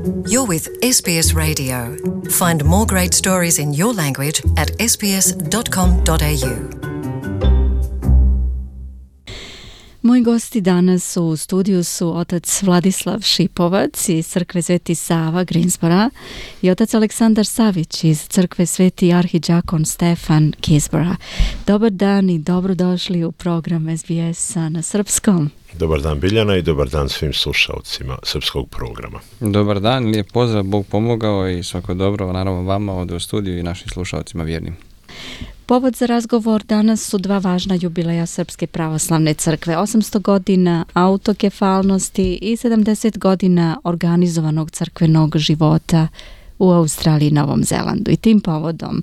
You're with SBS Radio. Find more great stories in your language at sbs.com.au. Moji gosti danas u studiju su otac Vladislav Šipovac iz crkve Sveti Sava Greensboro i otac Aleksandar Savić iz crkve Sveti arhidžakon Stefan Keysborough. Dobar dan i dobrodošli u program SBS-a na srpskom. Dobar dan Biljana i dobar dan svim slušalcima srpskog programa. Dobar dan, lijep pozdrav, Bog pomogao i svako dobro, naravno vama ovdje u studiju i našim slušalcima vjernim. Povod za razgovor danas su dva važna jubileja Srpske pravoslavne crkve, 800 godina autokefalnosti i 70 godina organizovanog crkvenog života u Australiji i Novom Zelandu. I tim povodom,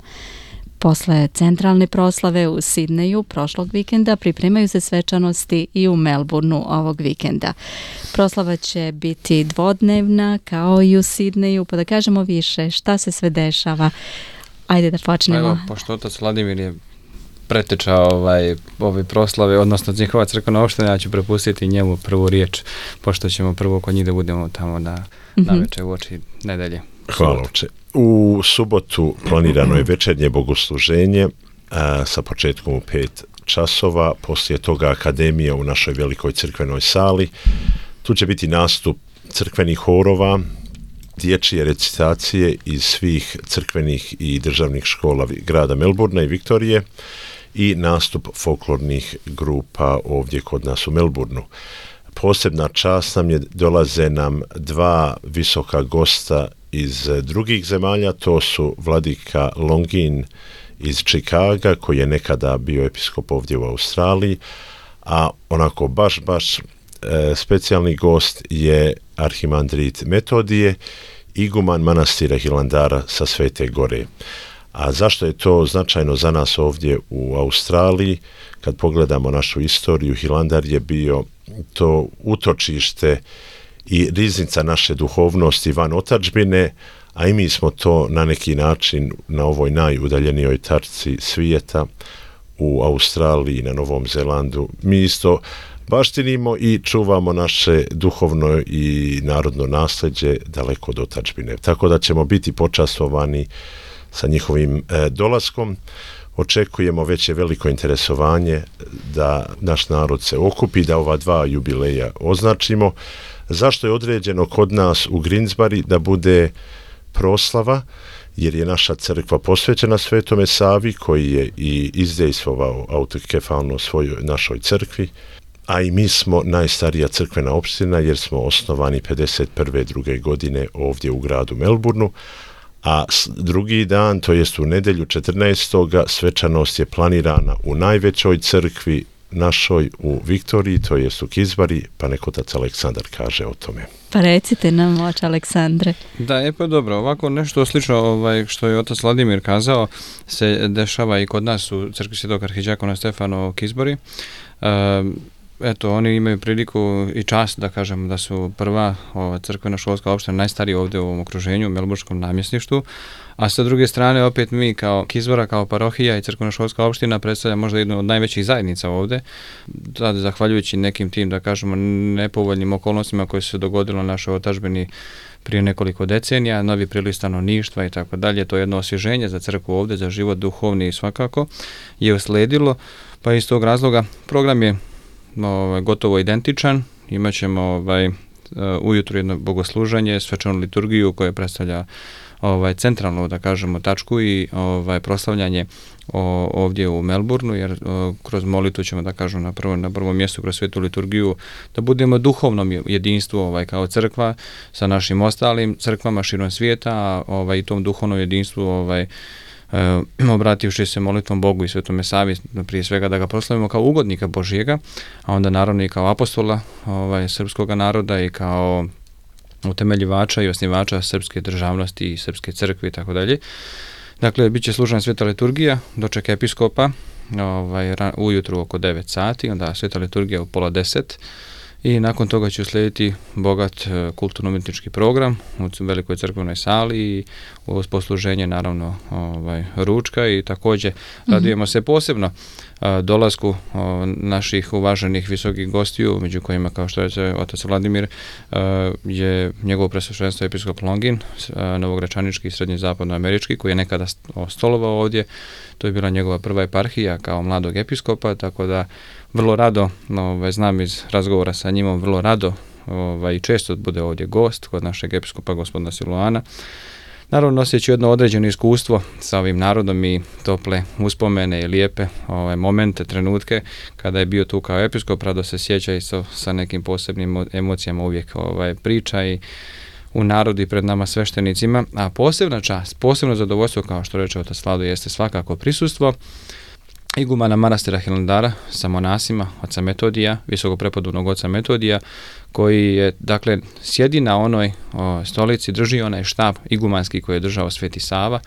posle centralne proslave u Sidneju prošlog vikenda, pripremaju se svečanosti i u Melbourneu ovog vikenda. Proslava će biti dvodnevna kao i u Sidneju, pa da kažemo više šta se sve dešava. Ajde da počnemo. Evo, pošto otac Vladimir je preteča ove proslave, odnosno njihova crkvena opština, ja ću prepustiti njemu prvu riječ, pošto ćemo prvo kod njih da budemo tamo na večer u oči nedelje. Hvala oče. U subotu planirano je večernje bogosluženje sa početkom u 5 časova, poslije toga akademija u našoj velikoj crkvenoj sali. Tu će biti nastup crkvenih horova, dječje recitacije iz svih crkvenih i državnih škola grada Melbournea i Viktorije i nastup folklornih grupa ovdje kod nas u Melbourneu. Posebna čast nam je, dolaze nam dva visoka gosta iz drugih zemalja, to su vladika Longin iz Čikaga, koji je nekada bio episkop ovdje u Australiji, a onako baš specijalni gost je arhimandrit Metodije, iguman manastira Hilandara sa Svete Gore. A zašto je to značajno za nas ovdje u Australiji? Kad pogledamo našu istoriju, Hilandar je bio to utočište i riznica naše duhovnosti van otadžbine, a i mi smo to na neki način na ovoj najudaljenijoj tačci svijeta u Australiji i na Novom Zelandu. Mi isto baštinimo i čuvamo naše duhovno i narodno nasljeđe daleko od otadžbine. Tako da ćemo biti počastovani sa njihovim dolaskom. Očekujemo već je veliko interesovanje da naš narod se okupi, da ova dva jubileja označimo. Zašto je određeno kod nas u Greensboro da bude proslava? Jer je naša crkva posvećena Svetome Savi, koji je i izdejstvovao autokefalno svojoj našoj crkvi, a i mi smo najstarija crkvena opština jer smo osnovani 51. godine ovdje u gradu Melbourneu, a drugi dan, to jest u nedjelju 14. svečanost je planirana u najvećoj crkvi našoj u Viktoriji, to jest u Keysboroughu, pa nek otac Aleksandar kaže o tome. Pa recite nam, oče Aleksandre. Da, pa dobro, ovako nešto slično što je otac Vladimir kazao se dešava i kod nas u crkvi Svetog arhidžakona Stefana u Keysboroughu. Eto, oni imaju priliku i čast da kažem da su prva crkvena školska opština najstarija ovdje u ovom okruženju, u melburnskom namjesništvu, a sa druge strane opet mi kao Keysborough, kao parohija i crkvena školska opština predstavlja možda jednu od najvećih zajednica ovdje, zahvaljujući nekim tim, da kažemo, nepovoljnim okolnostima koje su se dogodilo na našoj otadžbini prije nekoliko decenija, novi priliv stanovništva i tako dalje. To je jedno osvježenje za crkvu ovdje, za život duhovni i svakako je usledilo, pa iz tog razloga program je gotovo identičan. Imat ćemo ujutro jedno bogosluženje, svečanu liturgiju koja predstavlja centralnu, da kažemo, tačku i proslavljanje ovdje u Melbourneu, jer kroz molitvu ćemo, da kažem, na prvom mjestu kroz svetu liturgiju da budemo duhovnom jedinstvu kao crkva sa našim ostalim crkvama širom svijeta, a i tom duhovnom jedinstvu obrativši se molitvom Bogu i Svetome Savi, prije svega da ga proslavimo kao ugodnika Božjega, a onda naravno i kao apostola srpskog naroda i kao utemeljivača i osnivača srpske državnosti i srpske crkve i tako dalje. Dakle, bit će služena sveta liturgija, doček episkopa ujutru oko 9 sati, onda sveta liturgija u 9:30 i nakon toga će uslijediti bogat kulturno-umjetnički program u velikoj crkvenoj sali i uz posluženje naravno ručka i također radujemo se posebno dolasku naših uvaženih visokih gostiju, među kojima, kao što je otac Vladimir, je njegovo presveštenstvo episkop Longin, novogračanički i srednje-zapadnoamerički, koji je nekada stolovao ovdje. To je bila njegova prva eparhija kao mladog episkopa, tako da vrlo rado, znam iz razgovora sa njim, vrlo rado i često bude ovdje gost kod našeg episkopa gospodina Siluana. Naravno, noseći jedno određeno iskustvo sa ovim narodom i tople uspomene i lijepe momente, trenutke kada je bio tu kao episkop, rado se sjeća i sa nekim posebnim emocijama uvijek priča i u narodu i pred nama sveštenicima, a posebna čast, posebno zadovoljstvo, kao što reče otac Vlado, jeste svakako prisustvo igumana manastira Hilandara sa monasima, oca Metodija, visoko prepodobnog oca Metodija, koji je, dakle, sjedi na onoj stolici, drži onaj štab igumanski koji je držao Sveti Sava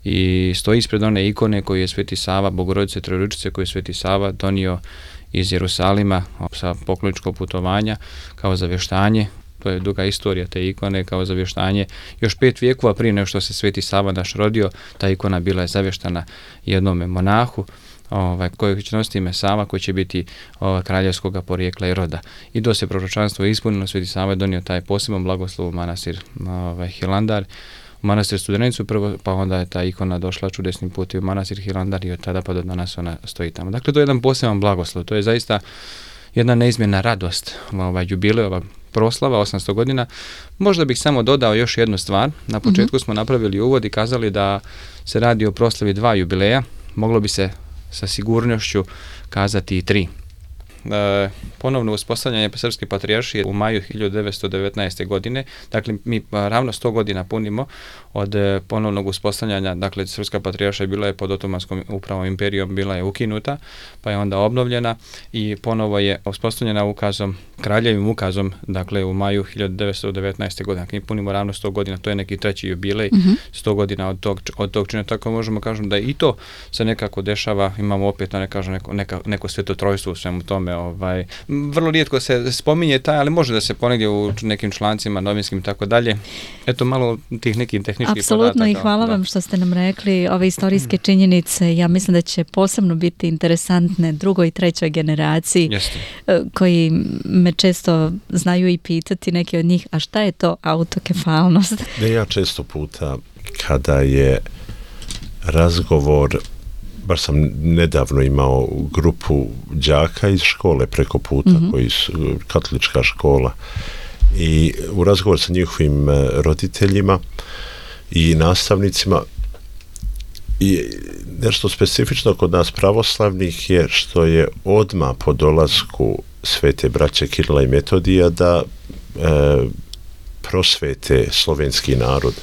i stoji ispred one ikone koju je Sveti Sava, Bogorodice Trojeručice, koju je Sveti Sava donio iz Jerusalima sa pokloničkog putovanja kao zavještanje. To je duga istorija te ikone, kao zavještanje. Još 5 vijekova prije nego što se Sveti Sava naš rodio, ta ikona bila je zavještana jednome monahu, koji će nositi ime Sava, koji će biti kraljevskog porijekla i roda. I do se proročanstvo ispunilo, Sveti Sava je donio taj poseban blagoslov u manastir Hilandar, u manastir Studenicu prvo, pa onda je ta ikona došla čudesnim putem u manastir Hilandar i od tada pa do danas ona stoji tamo. Dakle, to je jedan poseban blagoslov, to je zaista jedna neizmjerna radost, jubilejova proslava 800 godina. Možda bih samo dodao još jednu stvar. Na početku smo napravili uvod i kazali da se radi o proslavi 2 jubileja. Moglo bi se sa sigurnošću kazati i 3. Ponovno uspostavljanje Srpske patrijaršije u maju 1919. godine. Dakle, mi ravno 100 godina punimo od ponovnog uspostavljanja. Dakle, Srpska patrijaršija bila je pod Otomanskom upravom imperijom, bila je ukinuta, pa je onda obnovljena i ponovo je uspostavljena ukazom, kraljevim ukazom, dakle, u maju 1919. godine. Dakle, mi punimo ravno 100 godina, to je neki 3. jubilej, 100 godina od tog čina. Tako možemo kažem da i to se nekako dešava, imamo opet, neko svetotrojstvo u svemu tome. Vrlo rijetko se spominje taj, ali može da se ponegdje u nekim člancima novinskim i tako dalje. Eto malo tih nekih tehničkih podataka. Apsolutno i hvala vam što ste nam rekli ove istorijske činjenice. Ja mislim da će posebno biti interesantne 2. i 3. generaciji. Jeste. Koji me često znaju i pitati neki od njih, a šta je to autokefalnost? Ja često puta kada je razgovor, baš sam nedavno imao grupu đaka iz škole preko puta, koji su katolička škola, i u razgovor sa njihovim roditeljima i nastavnicima, i nešto specifično kod nas pravoslavnih je što je odmah po dolasku svete braće Kirila i Metodija da prosvete slovenski narod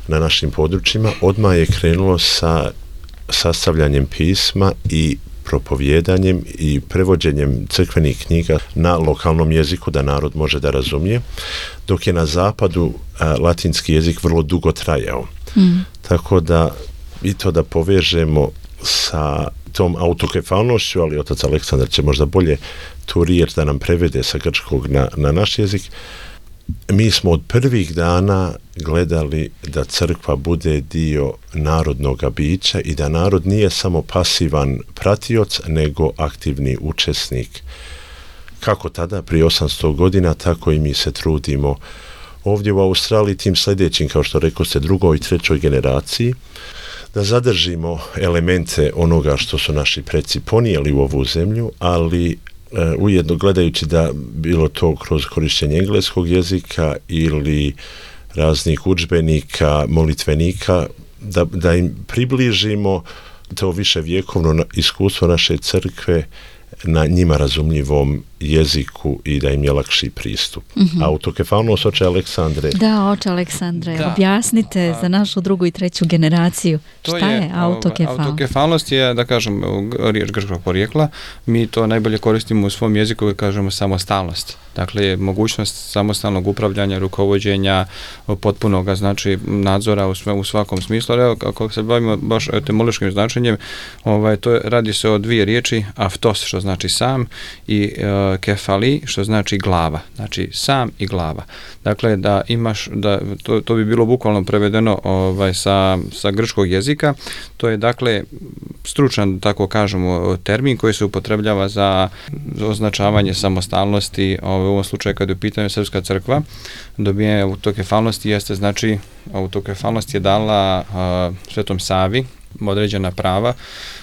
na našim područjima, odmah je krenulo sa sastavljanjem pisma i propovjedanjem i prevođenjem crkvenih knjiga na lokalnom jeziku da narod može da razumije, dok je na zapadu latinski jezik vrlo dugo trajao. Tako da i to da povežemo sa tom autokefalnošću, ali otac Aleksandar će možda bolje tu riječ da nam prevede sa grčkog na naš jezik. Mi smo od prvih dana gledali da crkva bude dio narodnog bića i da narod nije samo pasivan pratioc, nego aktivni učesnik. Kako tada, prije 800 godina, tako i mi se trudimo ovdje u Australiji tim sljedećim, kao što rekao ste, 2. i 3. generaciji, da zadržimo elemente onoga što su naši preci ponijeli u ovu zemlju, ali ujedno gledajući da bilo to kroz korištenje engleskog jezika ili raznih udžbenika, molitvenika, da im približimo to više vjekovno iskustvo naše crkve na njima razumljivom jeziku i da im je lakši pristup. Autokefalnost, oče Aleksandre. Da, oče Aleksandre, objasnite za našu 2. i 3. generaciju. Šta je autokefalnost? Autokefalnost je, da kažem, riječ grčkog porijekla. Mi to najbolje koristimo u svom jeziku koji kažemo samostalnost. Dakle, mogućnost samostalnog upravljanja, rukovođenja, potpunog, znači nadzora u svakom smislu. Evo, ako se bavimo baš etimološkim značenjem, radi se o 2 riječi, aftos, što znači sam, i kefali, što znači glava. Znači sam i glava. Dakle, da imaš, to bi bilo bukvalno prevedeno sa grčkog jezika. To je, dakle, stručan, tako kažemo, termin koji se upotrebljava za označavanje samostalnosti. U ovom slučaju, kad je u pitanju Srpska crkva, dobijanje autokefalnosti jeste, znači, autokefalnost je dala Svetom Savi određena prava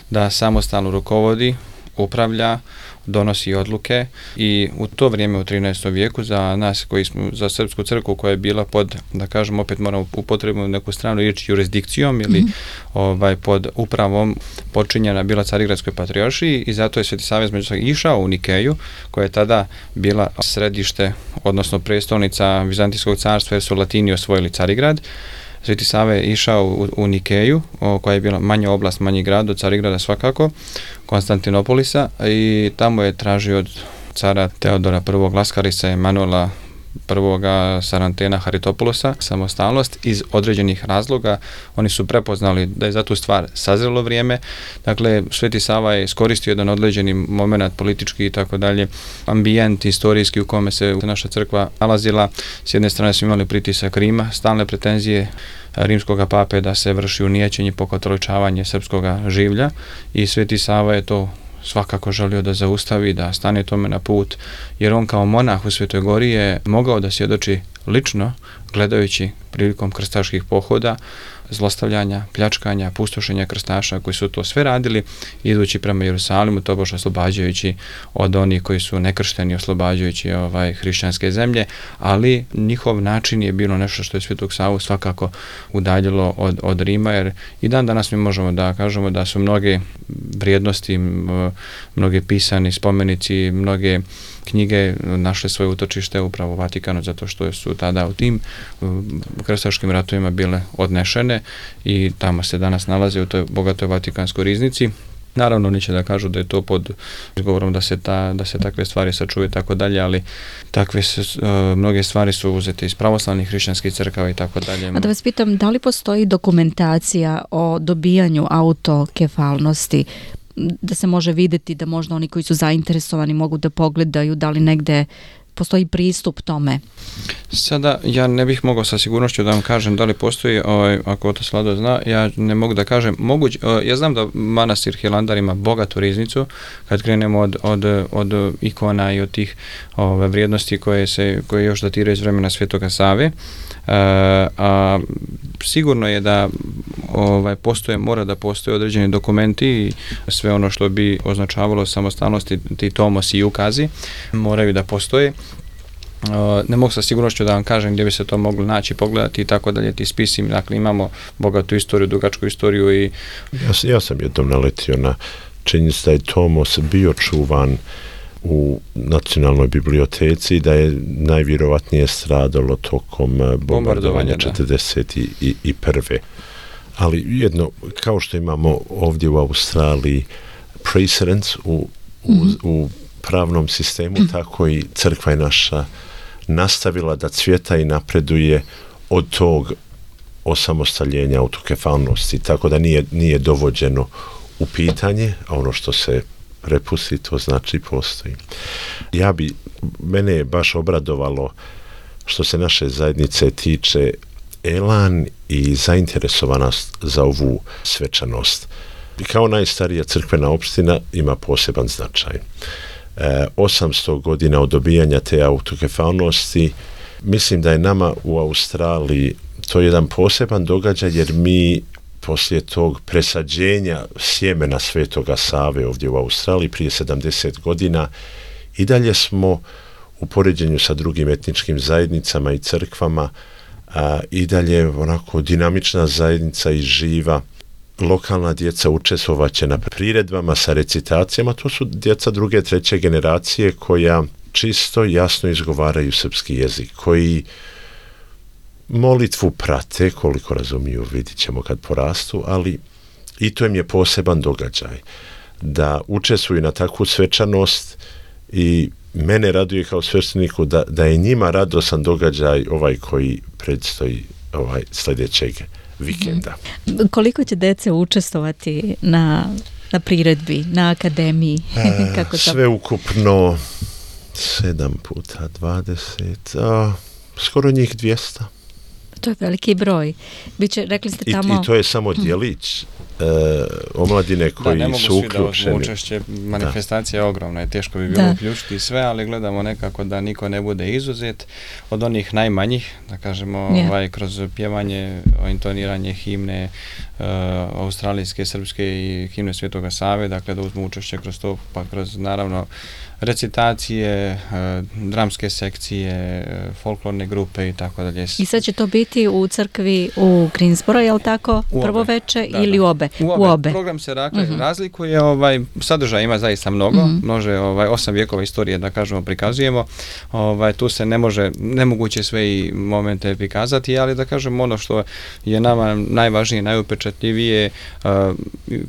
da samostalno rukovodi, upravlja, donosi odluke, i u to vrijeme u 13. vijeku za nas koji smo, za Srpsku crkvu koja je bila pod, da kažem, opet moramo upotrebiti neku stranu riječ, jurisdikcijom ili pod upravom počinjena bila Carigradskoj patrijaršiji, i zato je Sveti Sava međusobno išao u Nikeju, koja je tada bila središte, odnosno prestolnica Vizantijskog carstva, jer su Latini osvojili Carigrad. Sveti Sava je išao u Nikeju, koja je bila manja oblast, manji grad od Carigrada svakako, Konstantinopolisa, i tamo je tražio od cara Teodora I. Laskarisa, Emanuela I. Sarantena Haritopoulosa samostalnost iz određenih razloga. Oni su prepoznali da je za tu stvar sazrelo vrijeme. Dakle, Sveti Sava je iskoristio jedan određeni moment politički i tako dalje, ambijent historijski u kome se naša crkva nalazila. S jedne strane smo imali pritisak Rima, stalne pretenzije rimskog pape da se vrši unijećenje, pokatoličavanje srpskoga življa, i Sveti Sava je to svakako želio da zaustavi, da stane tome na put, jer on kao monah u Svetoj Gori je mogao da svjedoči lično, gledajući prilikom krstaških pohoda, zlostavljanja, pljačkanja, pustošenja krstaša koji su to sve radili, idući prema Jerusalimu, tobož oslobađajući od onih koji su nekršteni, oslobađajući hrišćanske zemlje, ali njihov način je bilo nešto što je Svetog Savu svakako udaljilo od Rima, jer i dan danas mi možemo da kažemo da su mnoge vrijednosti, mnoge pisani spomenici, mnoge knjige našle svoje utočište upravo u Vatikanu, zato što su tada u tim krstaškim ratovima bile odnešene i tamo se danas nalaze u toj bogatoj Vatikanskoj riznici. Naravno, oni će da kažu da je to pod izgovorom da se takve stvari sačuvaju i tako dalje, ali takve mnoge stvari su uzete iz pravoslavnih hrišćanskih crkava i tako dalje. A da vas pitam, da li postoji dokumentacija o dobijanju autokefalnosti, da se može vidjeti, da možda oni koji su zainteresovani mogu da pogledaju, da li negde postoji pristup tome? Sada ja ne bih mogao sa sigurnošću da vam kažem da li postoji, ako to Slado zna, ja ne mogu da kažem. Ja znam da manastir Hilandar ima bogatu riznicu, kad krenemo od ikona i od tih vrijednosti koje još datiraju iz vremena Svetoga Save. A sigurno je da mora da postoje određeni dokumenti i sve ono što bi označavalo samostalnosti, ti tomosi i ukazi moraju da postoje. Ne mogu sa sigurnošću da vam kažem gdje bi se to moglo naći, pogledati i tako dalje, ti spisi. Dakle, imamo bogatu istoriju, dugačku istoriju i... Ja sam jednom naletio na činjenicu da je tomos bio čuvan u Nacionalnoj biblioteci, da je najvjerovatnije stradalo tokom bombardovanja 1941. Ali jedno, kao što imamo ovdje u Australiji precedence u pravnom sistemu, tako i crkva je naša nastavila da cvjeta i napreduje od tog osamostaljenja, autokefalnosti, tako da nije dovođeno u pitanje, a ono što se prepusti, to znači postoji. Mene je baš obradovalo što se naše zajednice tiče elan i zainteresovanost za ovu svečanost. Kao najstarija crkvena opština ima poseban značaj. 800 godina od dobijanja te autokefalnosti, mislim da je nama u Australiji to jedan poseban događaj, jer mi poslije tog presađenja sjemena Svetoga Save ovdje u Australiji prije 70 godina i dalje smo u poređenju sa drugim etničkim zajednicama i crkvama i dalje onako dinamična zajednica i živa. Lokalna djeca učestvovaće na priredbama sa recitacijama, to su djeca druge, treće generacije koja čisto jasno izgovaraju srpski jezik, koji molitvu prate, koliko razumiju, vidit ćemo kad porastu, ali i to im je poseban događaj da učestvuju na takvu svečanost i mene raduje kao svešteniku da je njima radosan događaj koji predstoji sljedećeg vikenda. Koliko će djece učestvovati na na priredbi, na akademiji? Kako sve ukupno 7 puta 20, skoro njih 200. To je veliki broj. Biće, rekli ste tamo... I to je samo djelić omladine koji su uključeni. Ne mogu svi da učešće, manifestacija je ogromna i teško bi bilo uključiti sve, ali gledamo nekako da niko ne bude izuzet od onih najmanjih, da kažemo, kroz pjevanje, intoniranje himne australijske, srpske i himne Svetoga Save, dakle da uzmu učešće kroz to, pa kroz naravno recitacije, dramske sekcije, folklorne grupe i tako dalje. I sad će to biti u crkvi u Greensboro, je li tako? Prvo veče ili u obe? U obe. Program se razlikuje, sadržaj ima zaista mnogo, može 8 vjekova istorije, da kažemo, prikazujemo. Tu se nemoguće sve i momente prikazati, ali da kažem ono što je nama najvažnije, najupečatljivije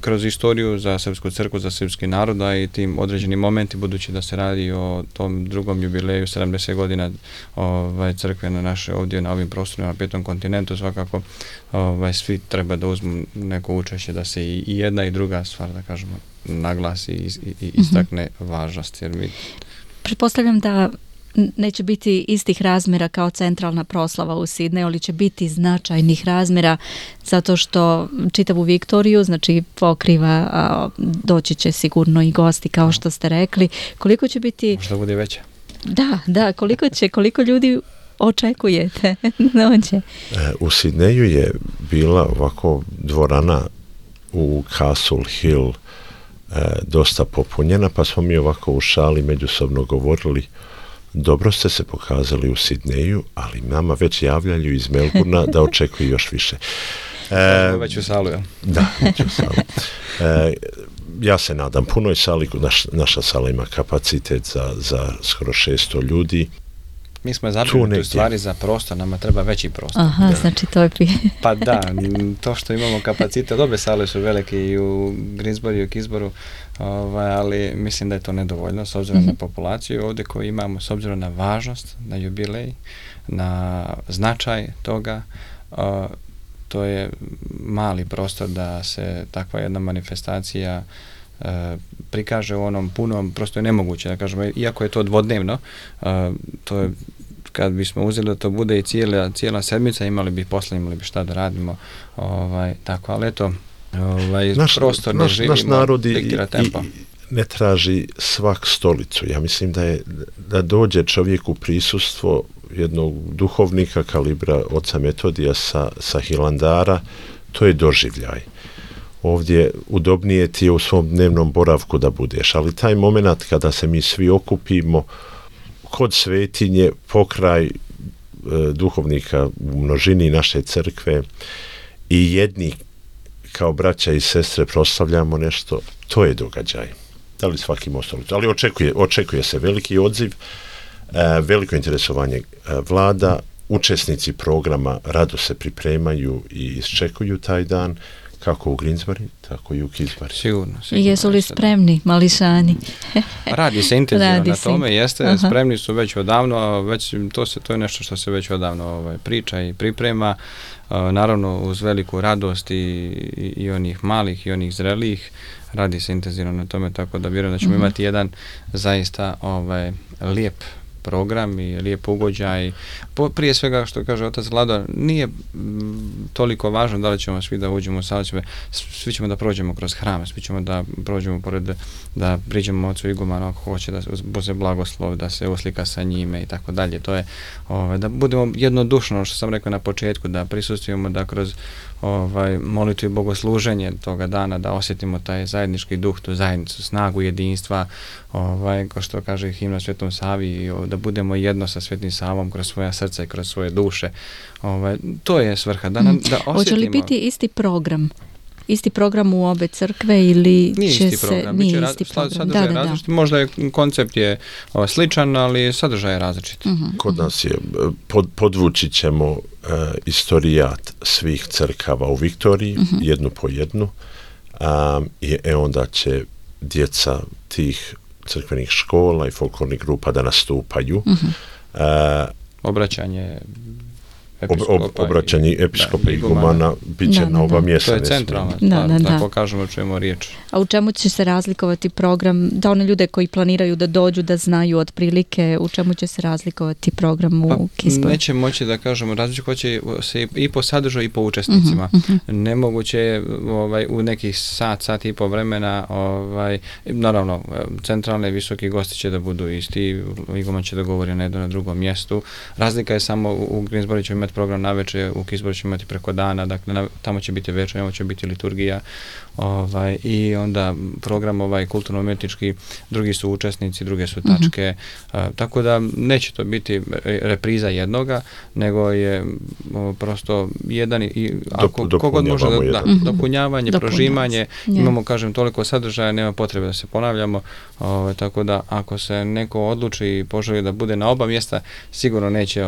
kroz istoriju za srpsku crkvu, za srpski narod, a i tim određeni momenti, budući da se radi o tom drugom jubileju 70 godina crkve na naše ovdje na ovim prostorima na 5. kontinentu, svakako svi treba da uzmu neko učešće da se i jedna i druga stvar, da kažemo, naglasi i istakne važnost. Jer pretpostavljam da neće biti istih razmjera kao centralna proslava u Sidneju, ali će biti značajnih razmjera zato što čitavu Viktoriju, znači pokriva, doći će sigurno i gosti kao što ste rekli. Koliko će biti... Možda bude veća. Da, koliko ljudi očekujete dođe? U Sidneju je bila ovako dvorana u Castle Hill dosta popunjena, pa smo mi ovako u šali međusobno govorili: dobro ste se pokazali u Sidneju, ali nama već javljaju iz Melbourna da očekuju još više. Već u salu, ja? Da, već u salu. Ja se nadam punoj sali, naša sala ima kapacitet za skoro 600 ljudi. Mi smo zabrinuti u stvari za prostor, nama treba veći prostor. Aha, znači to je... Pa da, to što imamo kapacitet, obe sale su velike i u Greensboro i u Kisboru, ali mislim da je to nedovoljno s obzirom na populaciju ovdje koju imamo, s obzirom na važnost, na jubilej, na značaj toga. To je mali prostor da se takva jedna manifestacija prikaže u onom punom, prosto je nemoguće, da kažemo, iako je to dvodnevno, to je, kad bismo uzeli da to bude i cijela sedmica, imali bi šta da radimo, tako, ali eto, prostor ne živimo, naš narod diktira tempo. Ne traži svak stolicu. Ja mislim da dođe čovjek u prisustvo jednog duhovnika kalibra oca Metodija sa Hilandara, to je doživljaj. Ovdje udobnije ti je u svom dnevnom boravku da budeš, ali taj moment kada se mi svi okupimo kod svetinje, pokraj duhovnika u množini naše crkve i jedni kao braća i sestre proslavljamo nešto, to je događaj. Da li svaki ima stolicu? Ali očekuje se veliki odziv, veliko interesovanje vlada, učesnici programa rado se pripremaju i iščekuju taj dan, kako u Greensboro, tako i u Kisbari. Sigurno. I jesu li spremni, mališani? Radi se intenzivno na tome, jeste, spremni su već odavno, to je nešto što se već odavno priča i priprema, naravno uz veliku radost i onih malih i onih zrelijih, radi se intenzivno na tome, tako da vjerujem da ćemo imati jedan zaista lijep program i lijep ugođaj. Prije svega, što kaže otac Vlado, nije toliko važno da li ćemo svi da uđemo u salu, svi ćemo da prođemo kroz hram, svi ćemo da prođemo da priđemo ocu igumanu ako hoće da bude blagoslov, da se uslika sa njime i tako dalje. To je da budemo jednodušno, što sam rekao na početku, da prisustvujemo da kroz molitvu i bogosluženje toga dana, da osjetimo taj zajednički duh, tu zajednicu, snagu jedinstva, kao što kaže himna Svetom Savi, da budemo jedno sa Svetim Savom kroz svoja srca i kroz svoje duše. To je svrha. Da osjetimo. Hoće li biti isti program? Isti program u obe crkve ili nije će isti program, nije isti program? Sadržaj je različit. Možda je koncept je sličan, ali sadržaj je različit. Kod nas je, podvući ćemo istorijat svih crkava u Viktoriji, jednu po jednu, i onda će djeca tih crkvenih škola i folklornih grupa da nastupaju. Obraćanje obraćanje episkopa i igumana bit će na oba mjesta. To je centralno, tako kažemo o čemu riječ. A u čemu će se razlikovati program, da one ljude koji planiraju da dođu, da znaju otprilike, u čemu će se razlikovati program u Kisboru? Neće moći da kažemo, razlikovati će se i po sadržaju i po učesnicima. Nemoguće je u nekih sat i po vremena, naravno, centralne visoki gosti će da budu isti, iguman će da govori na jednom na drugom mjestu. Razlika je samo u Greensboro će imati program navečer, u Kisboru će imati preko dana, dakle tamo će biti večer, tamo će biti liturgija i onda program kulturno-umjetnički, drugi su učesnici, druge su tačke, tako da neće to biti repriza jednoga, nego je prosto jedan i kogod može dopunjavanje, prožimanje, imamo kažem toliko sadržaja, nema potrebe da se ponavljamo, tako da ako se neko odluči i poželi da bude na oba mjesta, sigurno neće,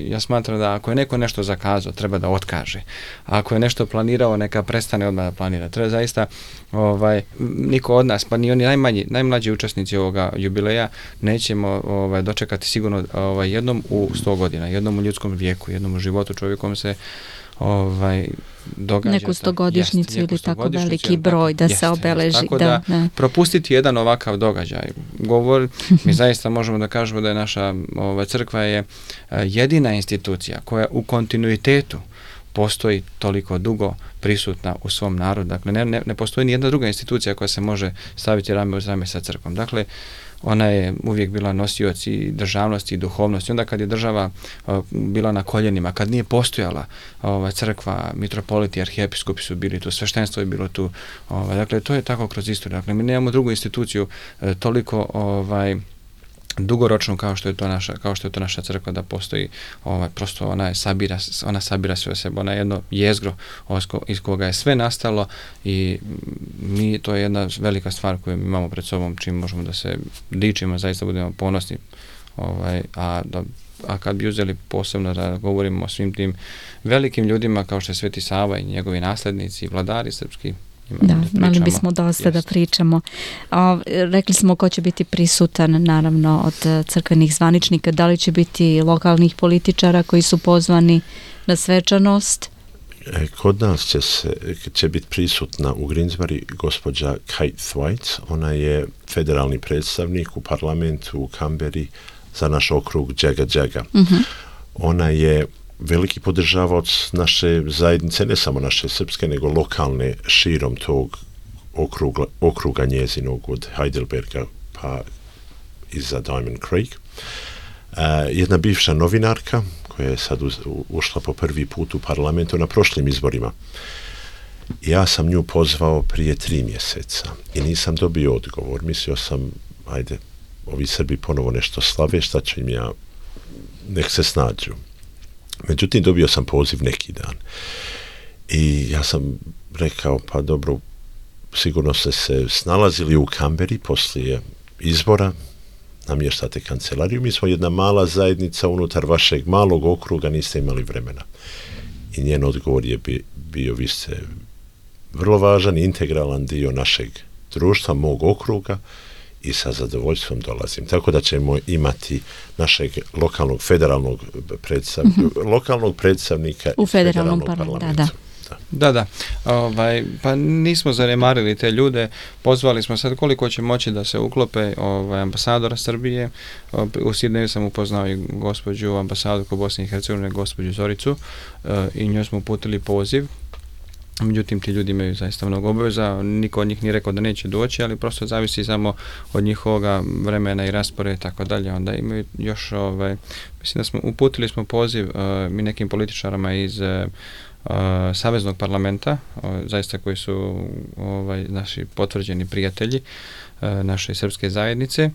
ja smatram da ako je neko nešto zakazao, treba da otkaže. Ako je nešto planirao, neka prestane odmah da planira. Treba zaista, niko od nas, pa ni oni najmlađi učesnici ovoga jubileja, nećemo dočekati sigurno jednom u 100 godina, jednom u ljudskom vijeku, jednom u životu čovjekom se događa. Neku 100-godišnjicu ili tako veliki broj da se obeleži. Tako da propustiti jedan ovakav događaj. Mi zaista možemo da kažemo da je naša crkva je jedina institucija koja u kontinuitetu postoji toliko dugo prisutna u svom narodu. Dakle, ne postoji ni jedna druga institucija koja se može staviti rame uz rame sa crkvom. Dakle, ona je uvijek bila nosioc i državnosti i duhovnosti. Onda kad je država bila na koljenima, kad nije postojala crkva, mitropoliti, arhijepiskopi su bili tu, sveštenstvo je bilo tu. Dakle, to je tako kroz istoriju. Dakle, mi nemamo drugu instituciju toliko dugoročno kao što je to naša crkva, da postoji, prosto ona sabira sve o sebe, ona je jedno jezgro iz koga je sve nastalo i to je jedna velika stvar koju imamo pred sobom, čim možemo da se dičimo, zaista budemo ponosni, a kad bi uzeli posebno da govorimo o svim tim velikim ljudima kao što je Sveti Sava i njegovi naslednici i vladari srpski. Da, imali bismo dosta da pričamo. Rekli smo ko će biti prisutan, naravno, od crkvenih zvaničnika. Da li će biti lokalnih političara koji su pozvani na svečanost? Kod nas će biti prisutna u Greensboro gospođa Kate Thwaites. Ona je federalni predstavnik u parlamentu u Canberri za naš okrug Jaga Jaga. Ona je veliki podržavaoc naše zajednice, ne samo naše srpske, nego lokalne širom tog okruga njezinog od Heidelberga pa iza Diamond Creek. Jedna bivša novinarka koja je sad ušla po prvi put u parlamentu na prošlim izborima. Ja sam nju pozvao prije 3 mjeseca i nisam dobio odgovor. Mislio sam, ajde, ovi Srbi ponovo nešto slave, šta ću im ja, nek se snađu. Međutim, dobio sam poziv neki dan i ja sam rekao, pa dobro, sigurno ste se snalazili u Canberri poslije izbora, namještate kancelariju, mi smo jedna mala zajednica unutar vašeg malog okruga, niste imali vremena. I njen odgovor je bio, vi ste vrlo važan, integralan dio našeg društva, mog okruga, i sa zadovoljstvom dolazim. Tako da ćemo imati našeg lokalnog federalnog predstavnika u federalnom parlamentu. Da. Pa nismo zanemarili te ljude, pozvali smo sad koliko će moći da se uklope ambasadora Srbije. U Sidneju sam upoznao i gospođu ambasadorku Bosne i Hercegovine, gospođu Zoricu, i njoj smo uputili poziv. Međutim, ti ljudi imaju zaista mnogo obaveza, niko od njih nije rekao da neće doći, ali prosto zavisi samo od njihovoga vremena i rasporeda i tako dalje. Onda imaju još, mislim da uputili smo poziv mi nekim političarama iz Saveznog parlamenta, zaista koji su naši potvrđeni prijatelji naše srpske zajednice,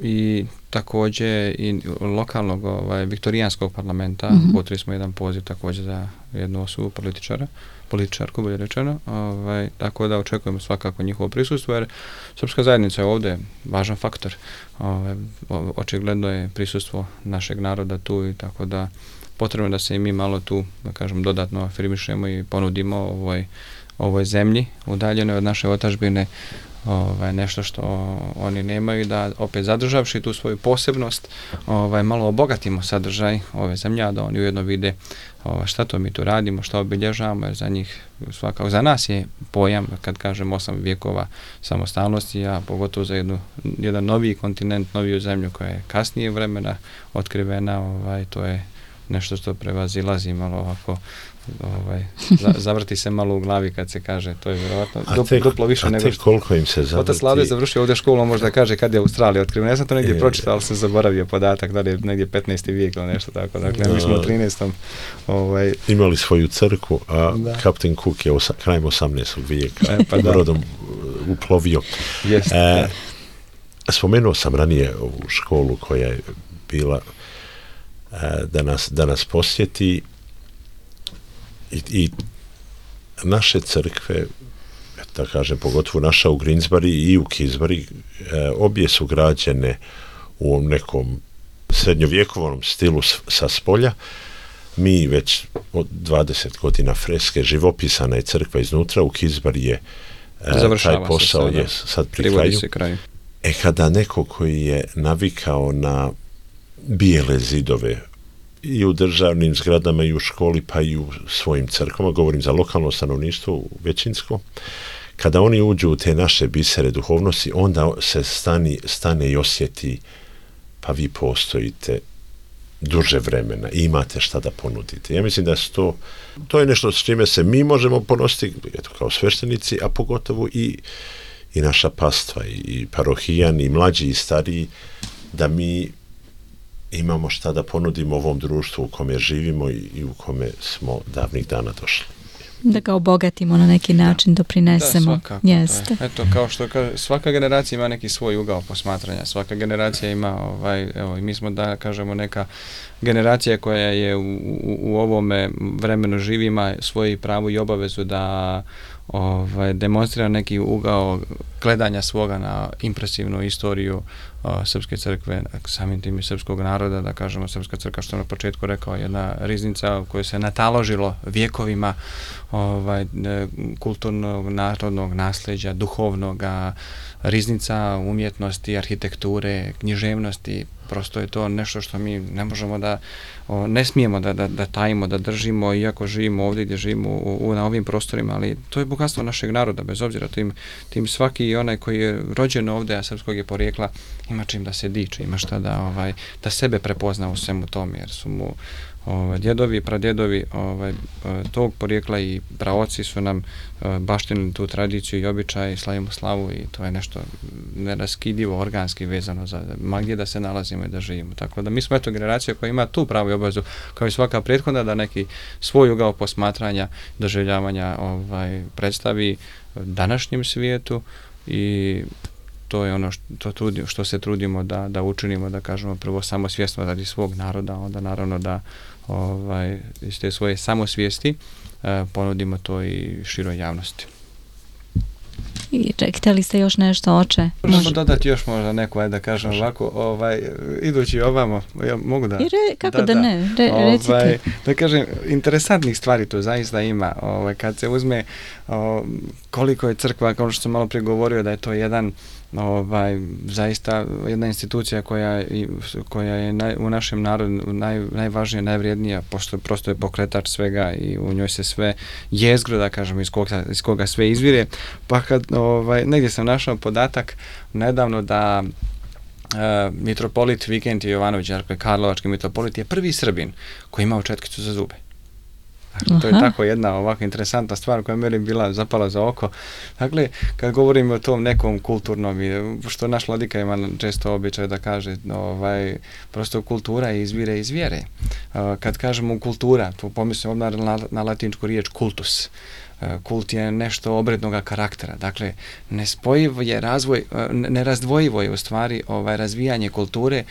i također i lokalnog viktorijanskog parlamenta. Uputili smo jedan poziv također za jednu osobu političarku, bolje rečeno, tako da očekujemo svakako njihovo prisustvo, jer srpska zajednica je ovdje važan faktor. Očigledno je prisustvo našeg naroda tu, i tako da potrebno da se i mi malo tu, da kažem, dodatno afirmišemo i ponudimo ovoj zemlji udaljenoj od naše otadžbine, nešto što oni nemaju, da opet zadržavši tu svoju posebnost malo obogatimo sadržaj ove zemlje, da oni ujedno vide šta to mi tu radimo, šta obilježavamo, jer za njih svakako, za nas je pojam, kad kažem 8 vijekova samostalnosti, a pogotovo za jedan noviji kontinent, noviju zemlju koja je kasnije vremena otkrivena, to je nešto što prevazilazi malo ovako, zavrti se malo u glavi kad se kaže, to je vjerojatno duplo više nego što... koliko im se zavrti? Otac Lado je završio ovdje školu, on možda kaže kad je Australija otkrivena. Ja sam to negdje pročitao, ali sam zaboravio podatak, da li je negdje 15. vijek ili nešto tako. Dakle, mi smo u 13. Imali svoju crkvu, a Kapten Cook je krajem 18. vijeka brodom uplovio. Spomenuo sam ranije ovu školu koja je bila da nas posjeti i naše crkve, da kažem, pogotovo naša u Greensbury i u Kisbury, obje su građene u nekom srednjovjekovnom stilu sa spolja. Mi već od 20 godina freske, živopisana je crkva iznutra, u Kisbury je taj posao je sad pri kraju. Kada neko koji je navikao na bijele zidove i u državnim zgradama i u školi pa i u svojim crkvama, govorim za lokalno stanovništvo većinsko, kada oni uđu u te naše bisere duhovnosti, onda se stane i osjeti, pa vi postojite duže vremena i imate šta da ponudite. Ja mislim da to je nešto s čime se mi možemo ponositi, eto, kao sveštenici, a pogotovo i naša pastva i parohijani, i mlađi i stariji, da mi imamo šta da ponudimo ovom društvu u kome živimo i u kome smo davnih dana došli. Da ga obogatimo na neki način, doprinesemo. Da, svakako. Jeste. Eto, kao što kaže, svaka generacija ima neki svoj ugao posmatranja, svaka generacija ima, i mi smo, da kažemo, neka generacija koja je u ovome vremenu živi, ima svoju pravu i obavezu da demonstrira neki ugao gledanja svoga na impresivnu istoriju Srpske crkve, samim tim i srpskog naroda, da kažemo, Srpska crkva, što na početku rekao, jedna riznica koju se nataložilo vjekovima kulturnog, narodnog nasljeđa, duhovnog, riznica umjetnosti, arhitekture, književnosti. Prosto je to nešto što mi ne možemo ne smijemo da tajimo, da držimo, iako živimo ovdje gdje živimo na ovim prostorima, ali to je bogatstvo našeg naroda, bez obzira tim svaki onaj koji je rođen ovdje, a srpskog je porijekla, ima čim da se diče, ima šta da sebe prepozna u svemu tome, jer su mu djedovi, pradjedovi tog porijekla i praoci su nam baštinili tu tradiciju i običaj, slavimo slavu, i to je nešto neraskidivo, organski vezano za gdje da se nalazimo i da živimo. Tako da mi smo generacija koja ima tu pravu obavezu, kao i svaka prethodna, da neki svoj ugao posmatranja, doživljavanja predstavi današnjem svijetu, i to je ono što se trudimo da učinimo, da kažemo, prvo samosvjesno radi svog naroda, onda naravno da iz te svoje samosvijesti ponudimo to i široj javnosti. I htjeli ste još nešto, oče? Možemo dodati još možda neko, da kažem ovako, idući ovamo, ja mogu da... Kako da ne, recite. Da kažem, interesantnih stvari tu zaista ima, kad se uzme koliko je crkva, kao što sam malo prije govorio, da je to jedan zaista jedna institucija koja je u našem narodu najvažnija, najvrijednija, pošto prosto je pokretač svega i u njoj se sve jezgro, da kažem, iz koga sve izvire. Pa kad negdje sam našao podatak nedavno da mitropolit Vikentije Jovanović, dakle karlovački mitropolit, je prvi Srbin koji imao četkicu za zube. Dakle, to je tako jedna ovako interesantna stvar koja meni bila zapala za oko. Dakle, kad govorimo o tom nekom kulturnom, što naš vladika ima često običaj da kaže, prosto kultura izvire iz vjere. Kad kažemo kultura, tu pomislimo na latinsku riječ kultus. Kult je nešto obrednog karaktera. Dakle, nespojiv je razvoj, nerazdvojivo je u stvari razvijanje kulture,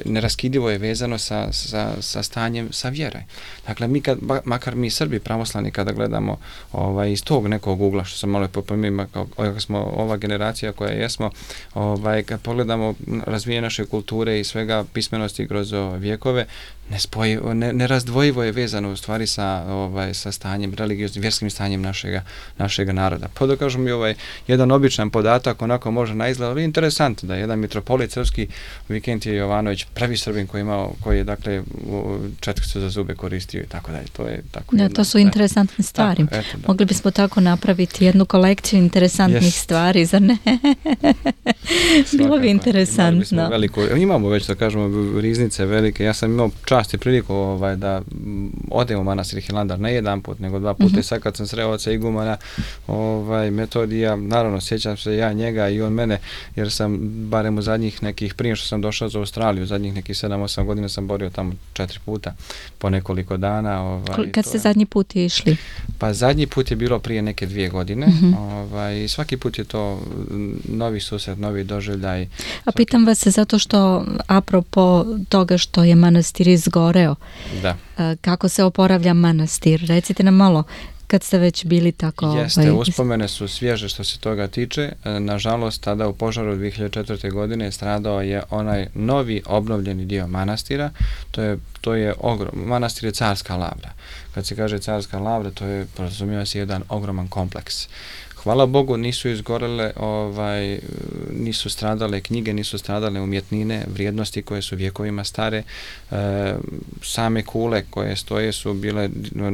neraskidivo je vezano sa stanjem, sa vjere. Dakle, mi makar mi Srbi pravoslavni, kada gledamo iz tog nekog ugla, što sam malo popominjao, kako smo ova generacija koja jesmo, kad pogledamo razvijanje naše kulture i svega pismenosti kroz vjekove, nerazdvojivo je vezano u stvari sa stanjem, religioznim, vjerskim stanjem našega naroda. Pa da kažem i jedan običan podatak, onako može na izgled, ali interesantno da jedan mitropolit srpski, Vikentije Jovanović, prvi Srbin koji je dakle četkicu za zube koristio i tako dalje. To je tako. To su interesantne stvari. Tako, mogli bismo tako napraviti jednu kolekciju interesantnih stvari, zar ne? Bilo bi interesantno. Imamo već, da kažemo, riznice velike. Ja sam imao čast i priliku da odem u manastir Hilandar ne jedan put, nego 2 puta. I sad kad sam sreo oca igumana Metodija, naravno sjećam se ja njega i on mene, jer sam barem u zadnjih nekih, prije što sam došao za Australiju, zadnjih nekih 7-8 godina sam borio tamo 4 puta po nekoliko dana. Kad ste zadnji put išli? Pa zadnji put je bilo prije neke 2 godine. I svaki put je to novi susret, novi doživljaj. A pitam vas zato što apropo toga što je manastir izgoreo, kako se oporavlja manastir? Recite nam malo, kad ste već bili tako... Jeste, uspomene su svježe što se toga tiče. Nažalost, tada u požaru 2004. godine stradao je onaj novi obnovljeni dio manastira. To je manastir je Carska Lavra. Kad se kaže Carska Lavra, to je, podrazumijeva se, jedan ogroman kompleks. Hvala Bogu, nisu izgorele, nisu stradale knjige, nisu stradale umjetnine, vrijednosti koje su vjekovima stare. Same kule koje stoje su bile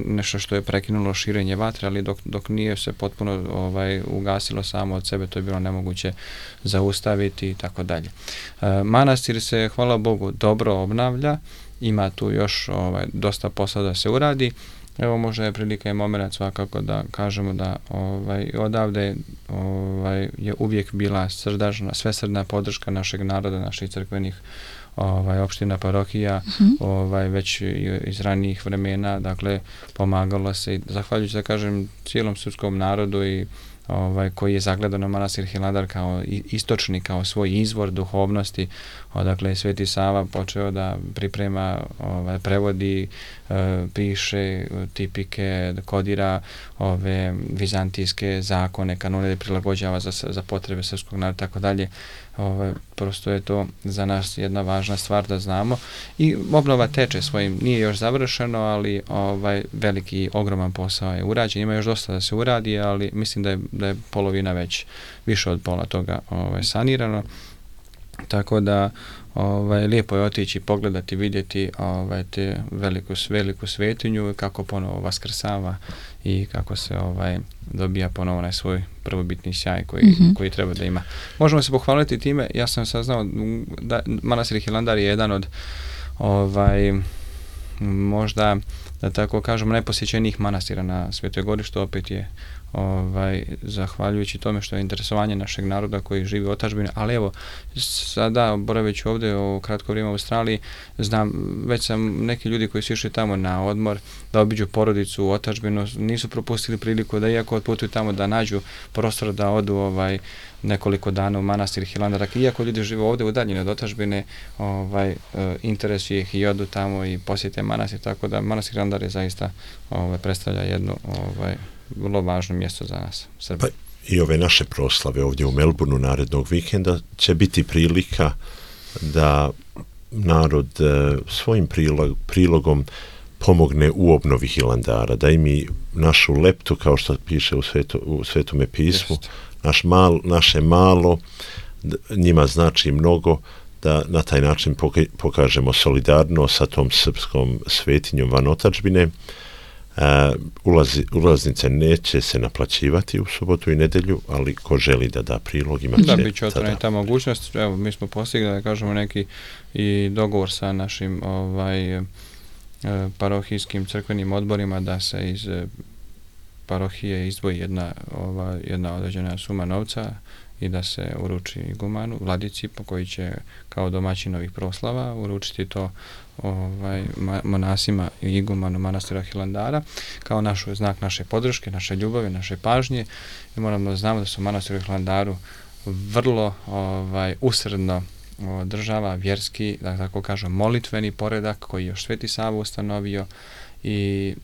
nešto što je prekinulo širenje vatre, ali dok nije se potpuno ugasilo samo od sebe, to je bilo nemoguće zaustaviti i tako dalje. Manastir se, hvala Bogu, dobro obnavlja, ima tu još dosta posla da se uradi. Evo, možda je prilika i moment svakako da kažemo da odavde je uvijek bila svesrdna podrška našeg naroda, naših crkvenih opština, parohija, već iz ranijih vremena, dakle, pomagalo se i zahvaljujući, da kažem, cijelom srpskom narodu i koji je zagledao na manastir Hilandar kao istočni, kao svoj izvor duhovnosti, odakle je Sveti Sava počeo da priprema, prevodi, piše tipike, kodira ove vizantijske zakone, kanone, da prilagođava za potrebe srpskog naroda, tako dalje. Prosto je to za nas jedna važna stvar da znamo i obnova teče svojim, nije još završeno, ali veliki, ogroman posao je urađen, ima još dosta da se uradi, ali mislim da je polovina već, više od pola toga sanirano, tako da lijepo je otići, pogledati, vidjeti te veliku svetinju, kako ponovo vaskrsava i kako se dobija ponovo onaj svoj prvobitni sjaj koji treba da ima. Možemo se pohvaliti time, ja sam saznao da manastir Hilandar je jedan od možda, da tako kažemo, najposjećenijih manastira na Svetoj Gori, što opet je zahvaljujući tome što je interesovanje našeg naroda koji živi u otadžbini, ali evo, sada boraveći ovdje u kratko vrijeme u Australiji, znam, već sam neki ljudi koji su išli tamo na odmor, da obiđu porodicu u otadžbinu, nisu propustili priliku da, iako otputuju tamo, da nađu prostor da odu nekoliko dana u manastir Hilandar. Iako ljudi žive ovdje u daljini od otadžbine, interesuje ih i odu tamo i posjete manastir, tako da manastir Hilandar je zaista predstavlja jednu vrlo važno mjesto za nas, Srbi. Pa i ove naše proslave ovdje u Melbourneu narednog vikenda će biti prilika da narod svojim prilogom pomogne u obnovi Hilandara, da i mi našu leptu, kao što piše u Svetome pismu, naše malo, njima znači mnogo, da na taj način pokažemo solidarnost sa tom srpskom svetinjom van otadžbine. Ulaznice neće se naplaćivati u subotu i nedjelju, ali ko želi da da prilog, imat će. Da, bit će otvorena ta mogućnost. Evo, mi smo postigli, da kažemo, neki i dogovor sa našim parohijskim crkvenim odborima da se iz parohije izdvoji jedna određena suma novca i da se uruči igumanu, vladici, po koji će kao domaćin ovih proslava uručiti to monasima i igumanu manastira Hilandara kao znak naše podrške, naše ljubavi, naše pažnje. I moramo da znamo da su manastiru Hilandaru vrlo usredno održava vjerski, da tako kažem, molitveni poredak koji je još Sveti Sava ustanovio i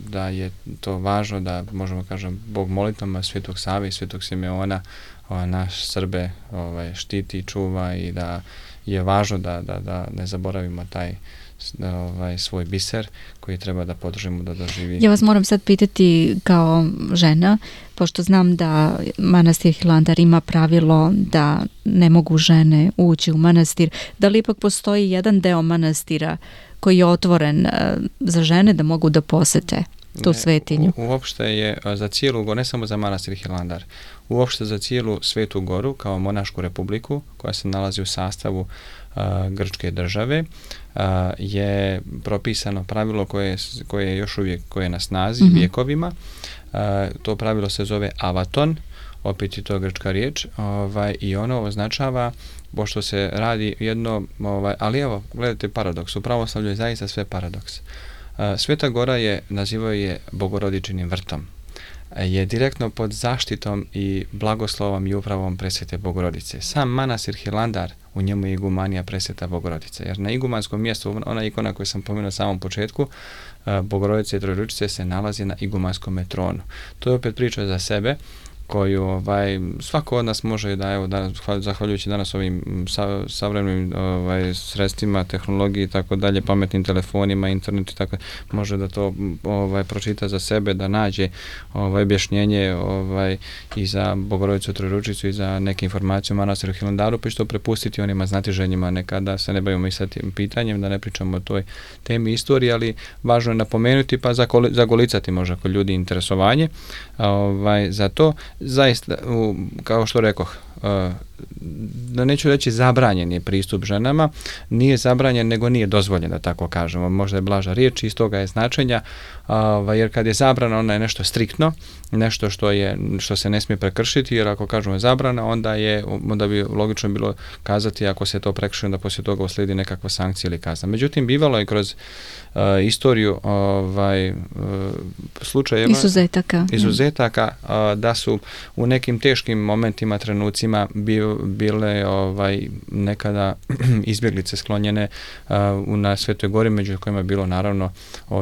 da je to važno da, možemo kažem, Bog molitvama Svetog Save i Svetog Simeona naš Srbe štiti i čuva i da je važno da ne zaboravimo taj svoj biser koji treba da podržimo da doživi. Ja vas moram sad pitati kao žena, pošto znam da manastir Hilandar ima pravilo da ne mogu žene ući u manastir, da li ipak postoji jedan deo manastira koji je otvoren za žene da mogu da posete tu svetinju? Uopšte je za cijelu goru, ne samo za manastir Hilandar, uopšte za cijelu Svetu goru kao monašku republiku koja se nalazi u sastavu grčke države, je propisano pravilo koje je još uvijek koje je na snazi vjekovima. To pravilo se zove avaton, opet je to grčka riječ, i ono označava, pošto se radi jedno, ali evo, gledajte paradoks, u pravoslavlju je zaista sve paradoks. Sveta Gora nazivaju je Bogorodičinim vrtom. Je direktno pod zaštitom i blagoslovom i upravom Presvete Bogorodice. Sam manastir Hilandar, u njemu je igumanija Presveta Bogorodice, jer na igumanskom mjestu, ona ikona koju sam pomenuo na samom početku, Bogorodice i Trojeručice se nalazi na igumanskom tronu. To je opet priča za sebe, koju svako od nas može da, evo, danas, zahvaljujući danas ovim savremenim sredstvima, tehnologiji i tako dalje, pametnim telefonima, internetu i tako, može da to pročita za sebe, da nađe objašnjenje i za Bogorodicu Trojeručicu i za neke informacije o manastiru Hilandaru, pa što prepustiti onima znatiženjima, nekada se ne bavimo i sa tim pitanjem, da ne pričamo o toj temi istorije, ali važno je napomenuti pa zagolicati možda kod ljudi interesovanje za to. Zaista, kao što rekoh, da neću reći zabranjen je pristup ženama, nije zabranjen nego nije dozvoljen, da tako kažemo, možda je blaža riječ, iz toga je značenja, jer kad je zabrana, ona je nešto striktno, nešto što se ne smije prekršiti, jer ako kažemo zabrana, onda bi logično bilo kazati ako se to prekrši, da poslije toga uslijedi nekakva sankcija ili kazna. Međutim, bivalo je kroz istoriju slučajeva izuzetaka da su u nekim teškim momentima, trenucima bile nekada izbjeglice sklonjene na Svetoj Gori, među kojima je bilo naravno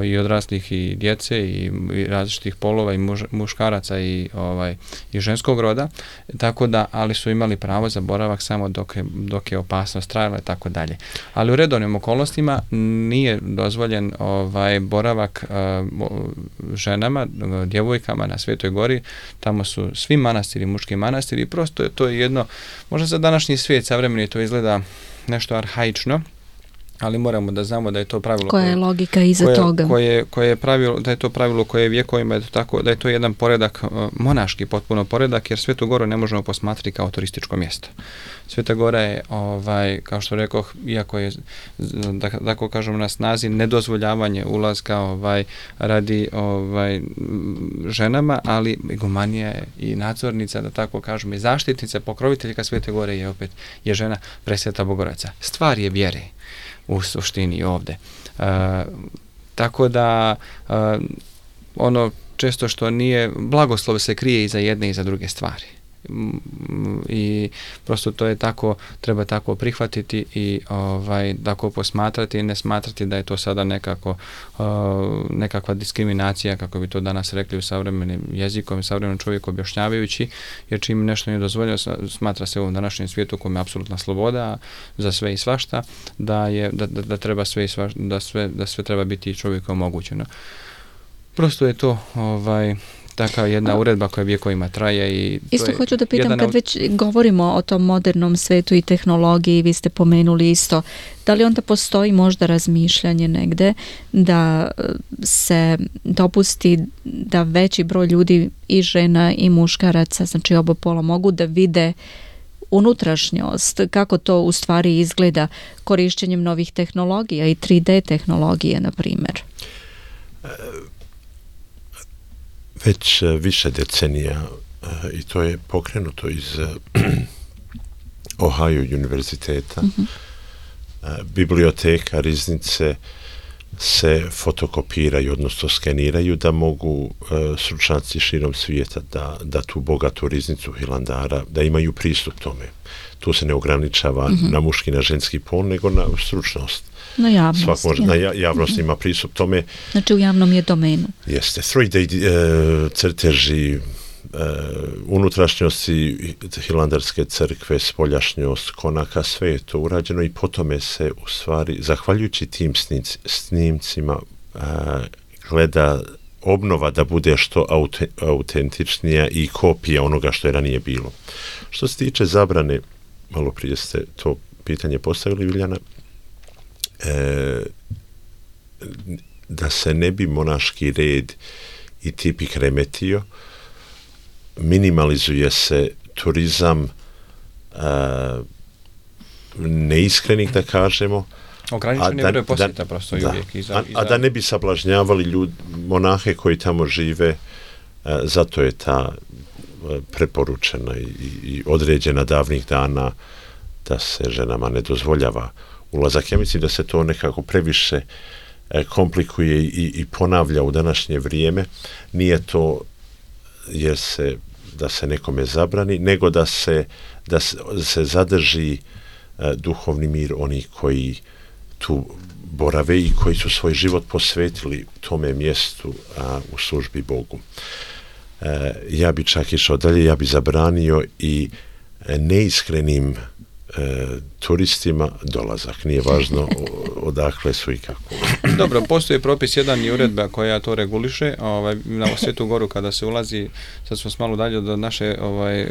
i odraslih i djece i različitih polova i muškaraca i ženskog roda, tako da, ali su imali pravo za boravak samo dok je opasnost trajala i tako dalje. Ali u redovnim okolnostima nije dozvoljen boravak ženama, djevojkama na Svetoj Gori. Tamo su svi manastiri, muški manastiri, prosto to je jedno, možda za današnji svijet savremeni to izgleda nešto arhaično, ali moramo da znamo da je to pravilo. Koja je logika iza toga? Koje je pravilo, da je to pravilo koje je vjekovima, da je to jedan poredak, monaški potpuno poredak, jer Svetu Goru ne možemo posmatrati kao turističko mjesto. Sveta Gora je, kao što rekoh, iako je, da tako kažem, na snazi nedozvoljavanje ulaska radi ženama, ali igumanija je i nadzornica, da tako kažem, i zaštitnica, pokroviteljka Svete Gore je žena Presveta Bogorodica. Stvar je vjere u suštini ovdje. Tako da ono često što nije, blagoslov se krije i za jedne i za druge stvari. I prosto to je tako, treba tako prihvatiti i tako posmatrati i ne smatrati da je to sada nekakva diskriminacija, kako bi to danas rekli u savremenim jezikom i savremenom čovjeku objašnjavajući, jer čim nešto nije dozvoljeno, smatra se u ovom današnjem svijetu kojem je apsolutna sloboda za sve i svašta, da treba sve i svašta, da sve treba biti čovjeku omogućeno. Prosto je to takva jedna uredba koja vjekovima traje i isto hoću da pitam, kad već govorimo o tom modernom svetu i tehnologiji, vi ste pomenuli isto, da li onda postoji možda razmišljanje negde da se dopusti da veći broj ljudi, i žena i muškaraca, znači oba pola, mogu da vide unutrašnjost, kako to u stvari izgleda korišćenjem novih tehnologija i 3D tehnologije, na primjer? Već više decenija, i to je pokrenuto iz Ohio univerziteta, biblioteka, riznice se fotokopiraju, odnosno skeniraju, da mogu stručnjaci širom svijeta da tu bogatu riznicu Hilandara, da imaju pristup tome. Tu se ne ograničava na muški, na ženski pol, nego na stručnost. Na javnost. Na javnost ima pristup tome. Znači u javnom je domenu. Jeste. 3D crteži unutrašnjost Hilandarske crkve, spoljašnjost konaka, sve je to urađeno i potome se u stvari, zahvaljujući tim snimcima, gleda obnova da bude što autentičnija i kopija onoga što je ranije bilo. Što se tiče zabrane, malo prije ste to pitanje postavili, Viljana, da se ne bi monaški red i tipik remetio, minimalizuje se turizam neiskrenih, da kažemo, ograničeni broj posjeta prosto i uvijek. A da ne bi sablažnjavali monahe koji tamo žive, zato je ta preporučena i određena davnih dana da se ženama ne dozvoljava ulazak. Ja mislim da se to nekako previše komplikuje i ponavlja u današnje vrijeme. Nije to da se nekome zabrani, nego da se zadrži duhovni mir onih koji tu borave i koji su svoj život posvetili tome mjestu u službi Bogu. Ja bi čak išao dalje, ja bi zabranio i neiskrenim turistima dolazak. Nije važno odakle su i kako. Dobro, postoji propis jedan i uredba koja to reguliše. Na Svetu Goru kada se ulazi, sad smo malo dalje od naše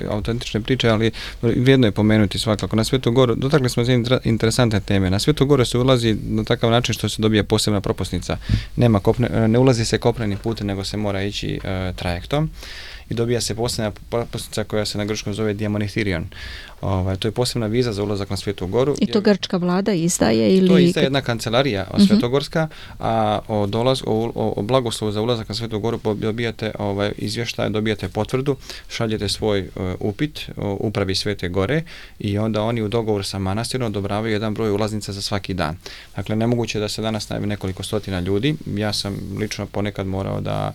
autentične priče, ali vrijedno je pomenuti svakako. Na Svetu Goru, dotakli smo se interesantne teme. Na Svetu Goru se ulazi na takav način što se dobije posebna propusnica. Ne ulazi se kopnenim putem, nego se mora ići trajektom. I dobija se posebna propusnica koja se na grčkom zove diamonithirion. To je posebna viza za ulazak na Svetu Goru. I to grčka vlada izdaje ili... To izdaje jedna kancelarija svetogorska, a o blagoslovu za ulazak na Svetu Goru dobijate izvještaj, dobijate potvrdu, šaljete svoj upit upravi Svete Gore i onda oni u dogovoru sa manastirom odobravaju jedan broj ulaznica za svaki dan. Dakle, nemoguće da se danas najavi nekoliko stotina ljudi. Ja sam lično ponekad morao da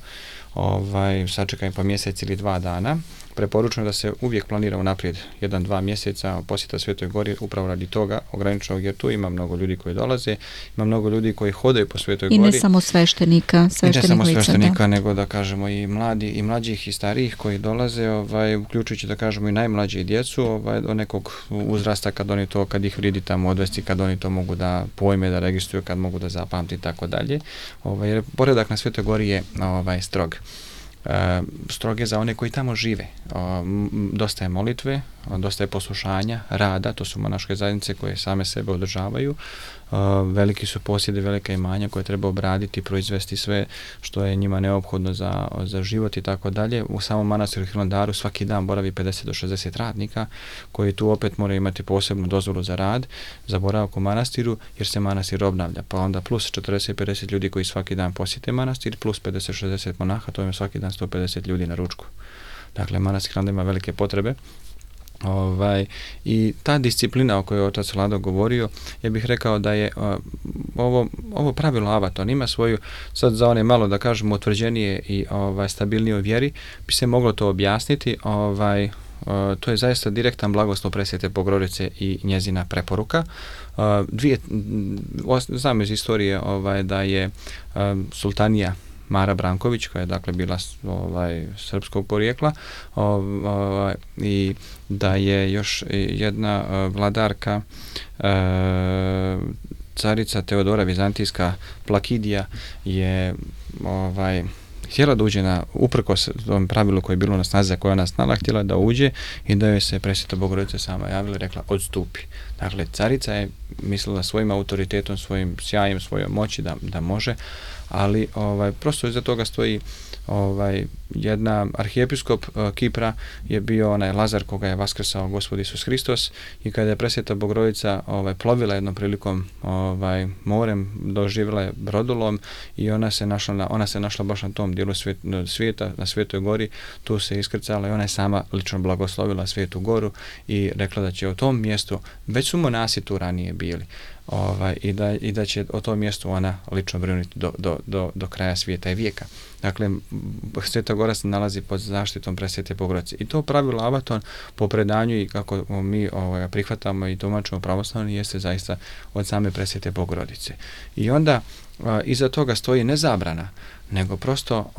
sačekam pa mjesec ili 2 dana. Preporučujem da se uvijek planira unaprijed 1-2 mjeseca posjeta Svetoj Gori upravo radi toga ograničenog, jer tu ima mnogo ljudi koji dolaze, ima mnogo ljudi koji hodaju po Svetoj Gori. I ne samo sveštenika, nego da kažemo i mladi, i mlađih i starijih koji dolaze, uključujući da kažemo i najmlađe i djecu, do nekog uzrasta kad ih vridi tamo odvesti, kad oni to mogu da pojme, da registruju, kad mogu da zapamti i tako dalje. Jer poredak na Svetoj Gori je strog. Stroge za one koji tamo žive. Dosta je molitve, dosta je poslušanja, rada, to su monaške zajednice koje same sebe održavaju. Veliki su posjedi, velika imanja koje treba obraditi, proizvesti sve što je njima neophodno za život i tako dalje. U samom manastiru Hilandaru svaki dan boravi 50 do 60 radnika koji tu opet moraju imati posebnu dozvolu za rad, za boravak u manastiru, jer se manastir obnavlja. Pa onda plus 40-50 ljudi koji svaki dan posjete manastir, plus 50-60 monaha, to ima svaki dan 150 ljudi na ručku. Dakle, manastir Hilandar ima velike potrebe. I ta disciplina o kojoj je otac Lado govorio, ja bih rekao da je ovo pravilo Avaton ima svoju, sad za one malo da kažemo utvrđenije i stabilnije u vjeri, bi se moglo to objasniti. To je zaista direktan blagoslov Presvete Bogorodice i njezina preporuka. Znam iz istorije da je sultanija Mara Branković, koja je dakle bila srpskog porijekla, i da je još jedna vladarka, carica Teodora Vizantijska Plakidija, je htjela da uđe uprkos tom pravilu koje je bilo na snazi, koja ona znala, htjela da uđe i da joj se Presveta Bogorodica sama javila i rekla odstupi. Dakle, carica je mislila svojim autoritetom, svojim sjajem, svojom moći da može, ali prosto iza toga stoji jedna arhijepiskop Kipra je bio onaj Lazar koga je vaskrsao Gospod Isus Hristos, i kada je Presveta Bogorodica plovila jednom prilikom morem, doživjela je brodolom i ona se našla baš na tom dijelu svijeta, na Svetoj Gori, tu se iskrcala i ona je sama lično blagoslovila Svetu Goru i rekla da će o tom mjestu, već su monasi tu ranije bili, i da će o tom mjestu ona lično brinuti do kraja svijeta i vijeka. Dakle, Sveta Gora se nalazi pod zaštitom Presvete Bogorodice. I to pravilo Avaton po predanju i kako mi prihvatamo i tumačimo pravoslavni jeste zaista od same Presvete Bogorodice. I onda iza toga stoji ne zabrana, nego prosto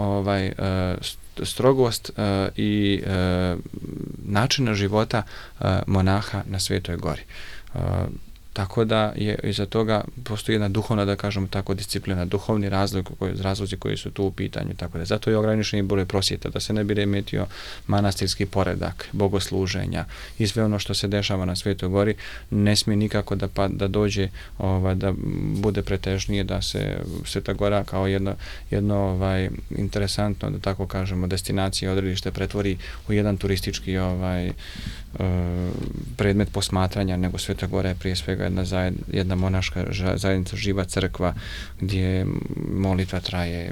strogost i načina života monaha na Svetoj gori. Tako da je iza toga postoji jedna duhovna, da kažemo tako, disciplina, duhovni razlozi koji su tu u pitanju. Tako da zato je ograničeni broj prosjeta, da se ne bi remetio manastirski poredak, bogosluženja i sve ono što se dešava na Svetoj gori, ne smije nikako da dođe, da bude pretežnije, da se Sveta gora kao jedno interesantno, da tako kažemo, destinacija, odredište pretvori u jedan turistički predmet posmatranja, nego Sveta gora je prije svega jedna monaška zajednica, živa crkva gdje molitva traje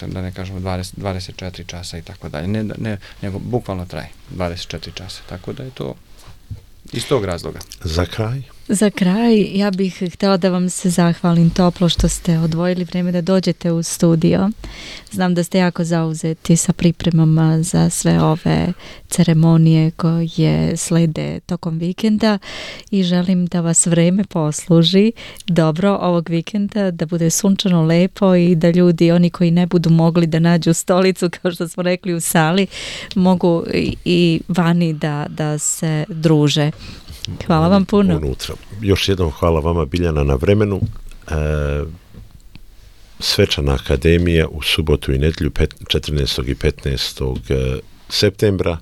da ne kažemo 24 časa i tako dalje, nego bukvalno traje 24 časa, tako da je to iz tog razloga. Za kraj, ja bih htjela da vam se zahvalim toplo što ste odvojili vrijeme da dođete u studio. Znam da ste jako zauzeti sa pripremama za sve ove ceremonije koje slede tokom vikenda i želim da vas vrijeme posluži dobro ovog vikenda, da bude sunčano, lepo i da ljudi, oni koji ne budu mogli da nađu stolicu, kao što smo rekli u sali, mogu i vani da se druže. Hvala vam puno. Unutra. Još jednom hvala vama, Biljana, na vremenu. Svečana akademija u subotu i nedjelju 14. i 15. septembra.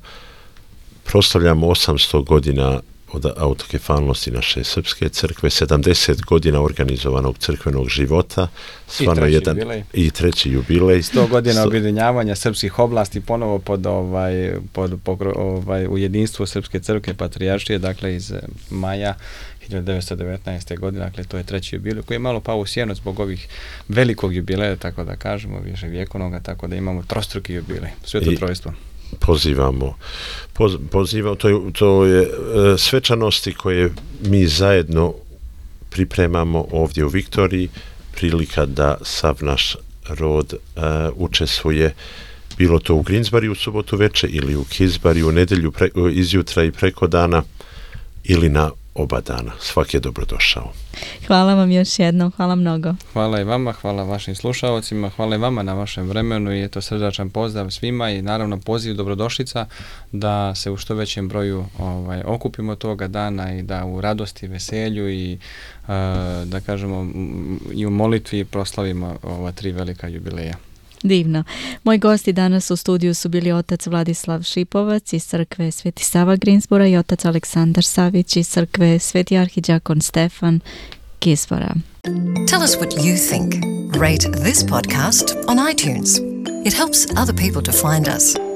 Proslavljamo 800 godina od autokefalnosti naše srpske crkve, 70 godina organizovanog crkvenog života, i treći jubilej. 100 godina objedinjavanja srpskih oblasti ponovo u jedinstvu Srpske crkve patrijaršije, dakle iz maja 1919. godine, dakle to je treći jubilej koji je malo pao u sjenu zbog ovih velikog jubileja, tako da kažemo, viševjekovnoga, tako da imamo trostruki jubilej, Sveto trojstvo. Pozivamo, to je svečanosti koje mi zajedno pripremamo ovdje u Viktoriji, prilika da sav naš rod učestvuje, bilo to u Greensbury u subotu veče ili u Kisbury u nedjelju izjutra i preko dana ili na oba dana. Svaki je dobrodošao. Hvala vam još jednom, hvala mnogo. Hvala i vama, hvala vašim slušalcima, hvala i vama na vašem vremenu i eto srdačan pozdrav svima i naravno poziv dobrodošlica da se u što većem broju okupimo toga dana i da u radosti, veselju i da kažemo i u molitvi proslavimo ova 3 velika jubileja. Divno. Moji gosti danas u studiju su bili otac Vladislav Šipovac iz crkve Sveti Sava Greensbora i otac Aleksandar Savić iz crkve Sveti arhidjakon Stefan Kisbora. Tell us what you think. Rate this podcast on iTunes. It helps other people to find us.